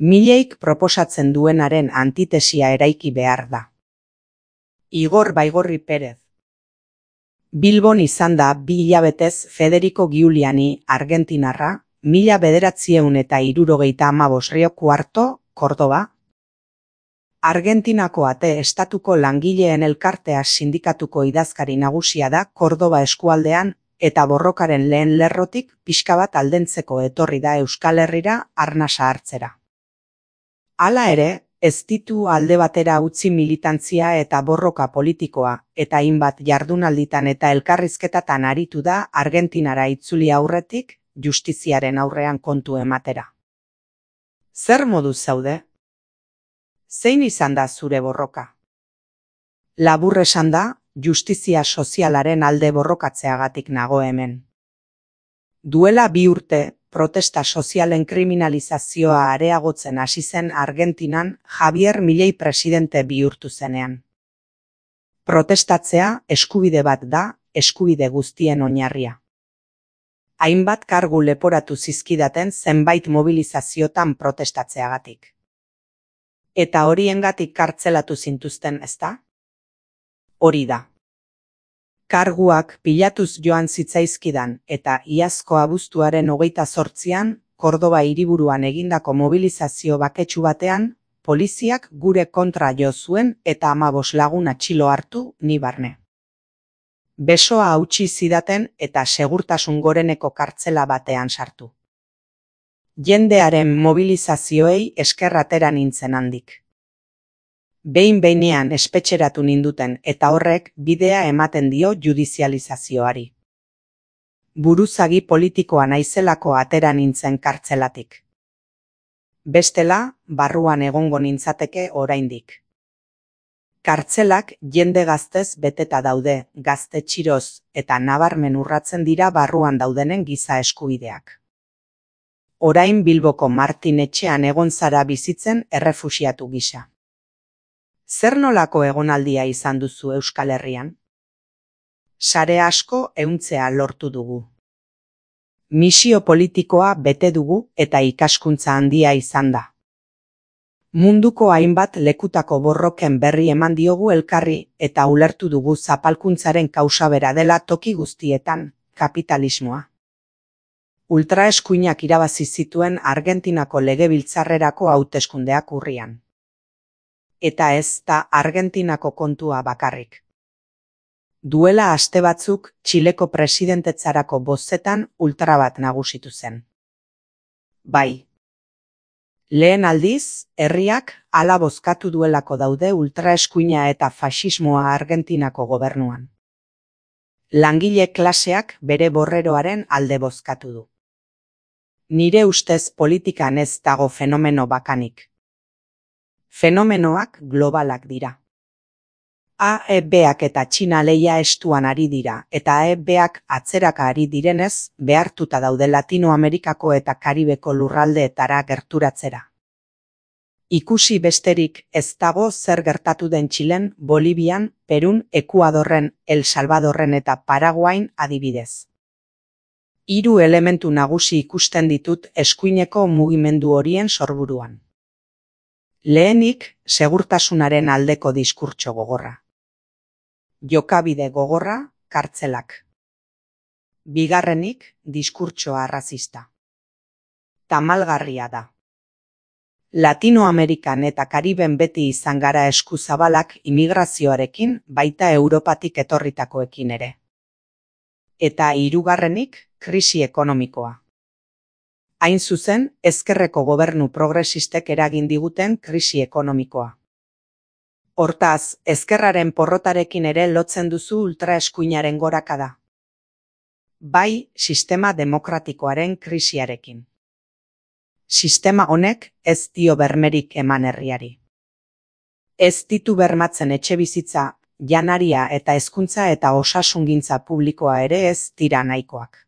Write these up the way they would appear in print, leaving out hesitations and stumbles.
Mileik proposatzen duenaren antitesia eraiki behar da. Igor Baigorri Perez. Bilbon izan da 2 hilabetez Federico Giuliani argentinarra, 1975 Rio Cuarto, Kordoba. Argentinako Ate Estatuko langileen elkartea sindikatuko idazkari nagusia da Kordoba eskualdean eta borrokaren lehen lerrotik pixka bat aldentzeko etorri da Euskal Herrira arnasa hartzera. Hala ere, ez ditu alde batera utzi militantzia eta borroka politikoa eta hainbat jardunalditan eta elkarrizketatan aritu da Argentinara itzuli aurretik justiziaren aurrean kontu ematera. Zer moduz zaude? Zein izan da zure borroka? Labur esan da, justizia sozialaren alde borrokatzeagatik nago hemen. Duela 2 urte, protesta sozialen kriminalizazioa areagotzen hasi zen Argentinan Javier Milei presidente bihurtu zenean. Protestatzea eskubide bat da, eskubide guztien oinarria. Hainbat kargu leporatu zizkidaten zenbait mobilizaziotan protestatzeagatik. Eta horiengatik kartzelatu zintuzten, ezta? Hori da. Karguak pilatuz joan zitzaizkidan eta iazko abuztuaren 28an Kordoba hiriburuan egindako mobilizazio baketsu batean, poliziak gure kontra jo zuen eta 15 lagun atxilo hartu ni barne. Besoa hautsi zidaten eta segurtasun goreneko kartzela batean sartu. Jendearen mobilizazioei esker atera nintzen handik. Behin-behinean espetxeratu ninduten eta horrek bidea ematen dio judizializazioari. Buruzagi politikoa naizelako atera nintzen kartzelatik. Bestela, barruan egongo nintzateke oraindik. Kartzelak jende gaztez beteta daude, gazte txiroz eta nabarmen urratzen dira barruan daudenen giza eskubideak. Orain Bilboko Martin etxean egon zara bizitzen errefuxiatu gisa. Zer nolako egonaldia izan duzu Euskal Herrian? Sare asko ehuntzea lortu dugu. Misio politikoa bete dugu eta ikaskuntza handia izan da. Munduko hainbat lekutako borroken berri eman diogu elkarri eta ulertu dugu zapalkuntzaren kausa bera dela toki guztietan, kapitalismoa. Ultraeskuinak irabazi zituen Argentinako legebiltzarrerako hauteskundeak urrian. Eta ez da Argentinako kontua bakarrik. Duela aste batzuk Txileko presidentetzarako bozetan ultra bat nagusitu zen. Bai. Lehen aldiz, herriak hala bozkatu duelako daude ultraeskuina eta faxismoa Argentinako gobernuan. Langile klaseak bere borreroaren alde bozkatu du. Nire ustez politikan ez dago fenomeno bakanik. Fenomenoak globalak dira. AEBak eta Txina lehia estuan ari dira eta AEBak atzeraka ari direnez behartuta daude Latinoamerikako eta Karibeko lurraldeetara gerturatzera. Ikusi besterik ez dago zer gertatu den Txilen, Bolivian, Perun, Ekuadorren, El Salvadorren eta Paraguain adibidez. 3 elementu nagusi ikusten ditut eskuineko mugimendu horien sorburuan. Lehenik, segurtasunaren aldeko diskurtso gogorra. Jokabide gogorra, kartzelak. Bigarrenik, diskurtsoa arrazista. Tamalgarria da. Latinoamerikan eta Kariben beti izan gara eskuzabalak immigrazioarekin baita Europatik etorritakoekin ere. Eta 3. Krisi ekonomikoa. Hain zuzen, ezkerreko gobernu progresistek eragin diguten krisi ekonomikoa. Hortaz, ezkerraren porrotarekin ere lotzen duzu ultraeskuinaren gorakada. Bai, sistema demokratikoaren krisiarekin. Sistema honek ez dio bermerik eman herriari. Ez ditu bermatzen etxebizitza, janaria eta hezkuntza eta osasungintza publikoa ere ez dira nahikoak.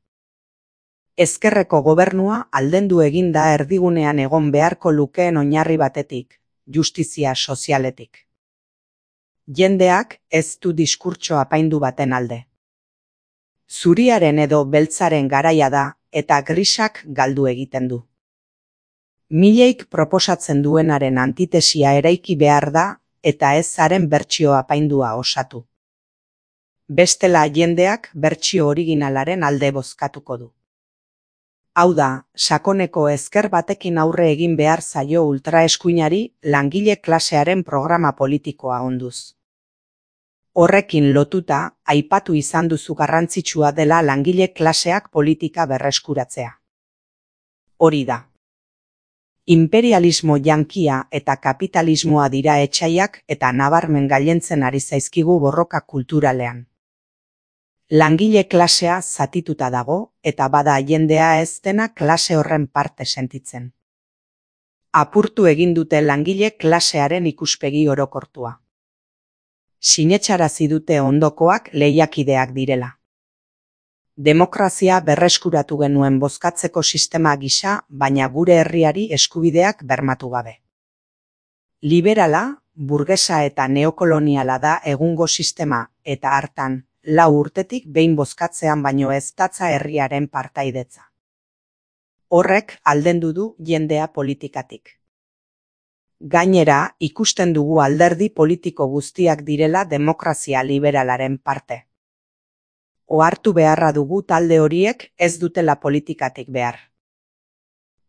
Ezkerreko gobernua aldendu egin da erdigunean egon beharko lukeen oinarri batetik, justizia sozialetik. Jendeak ez du diskurtso apaindu baten alde. Zuriaren edo beltzaren garaia da eta grisak galdu egiten du. Mileik proposatzen duenaren antitesia eraiki behar da eta ez haren bertsio apaindua osatu. Bestela jendeak bertsio originalaren alde bozkatuko du. Hau da, sakoneko ezker batekin aurre egin behar zaio ultraeskuinari langile klasearen programa politikoa onduz. Horrekin lotuta, aipatu izan duzu garrantzitsua dela langile klaseak politika berreskuratzea. Hori da. Imperialismo jankia eta kapitalismoa dira etsaiak eta nabarmen gailentzen ari zaizkigu borroka kulturalean. Langile klasea zatituta dago eta bada jendea ez dena klase horren parte sentitzen. Apurtu egin dute langile klasearen ikuspegi orokortua. Sinetsarazi dute ondokoak lehiakideak direla. Demokrazia berreskuratu genuen bozkatzeko sistema gisa, baina gure herriari eskubideak bermatu gabe. Liberala, burgesa eta neokoloniala da egungo sistema eta hartan, 4 urtetik behin bozkatzean baino ez datza herriaren partaidetza. Horrek aldendu du jendea politikatik. Gainera, ikusten dugu alderdi politiko guztiak direla demokrazia liberalaren parte. Ohartu beharra dugu talde horiek ez dutela politikatik behar.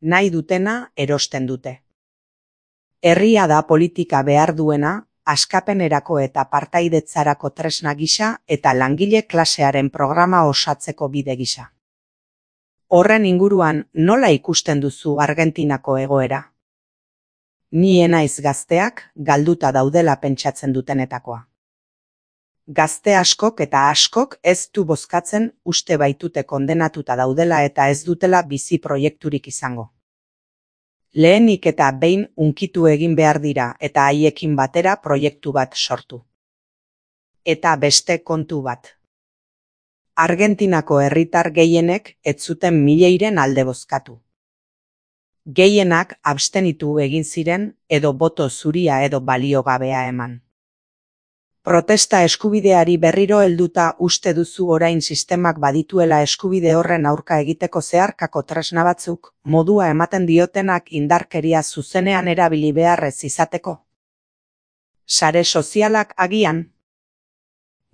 Nahi dutena erosten dute. Herria da politika behar duena, askapenerako eta partaidetzarako tresna gisa eta langile klasearen programa osatzeko bide gisa. Horren inguruan nola ikusten duzu Argentinako egoera? Ni naiz gazteak galduta daudela pentsatzen dutenetakoa. Gazte askok eta askok ez du bozkatzen uste baitute kondenatuta daudela eta ez dutela bizi proiekturik izango. Lehenik eta behin hunkitu egin behar dira eta haiekin batera proiektu bat sortu. Eta beste kontu bat. Argentinako herritar gehienek ez zuten Milleiren alde bozkatu. Gehienak abstenitu egin ziren edo boto zuria edo baliogabea eman. Protesta eskubideari berriro helduta uste duzu orain sistemak badituela eskubide horren aurka egiteko zeharkako tresna batzuk, modua ematen diotenak indarkeria zuzenean erabili beharrez izateko? Sare sozialak agian?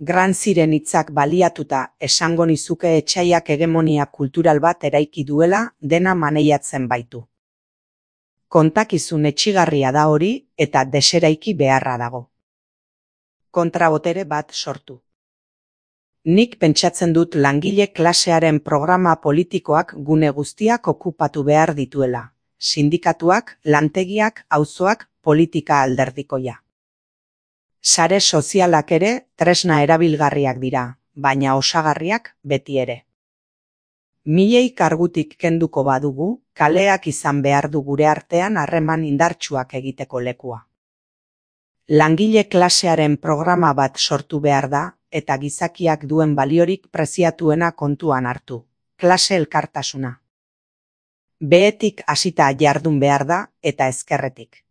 Gramsciren hitzak baliatuta esango nizuke etsaiak hegemonia kultural bat eraiki duela dena maneiatzen baitu. Kontakizun etsigarria da hori eta deseraiki beharra dago. Kontrabotere bat sortu. Nik pentsatzen dut langile klasearen programa politikoak gune guztiak okupatu behar dituela. Sindikatuak, lantegiak, auzoak, politika alderdikoia. Sare sozialak ere tresna erabilgarriak dira, baina osagarriak beti ere. Milei kargutik kenduko badugu, kaleak izan behar du gure artean harreman indartsuak egiteko lekua. Langile klasearen programa bat sortu behar da, eta gizakiak duen baliorik preziatuena kontuan hartu, klase elkartasuna. Behetik hasita jardun behar da, eta ezkerretik.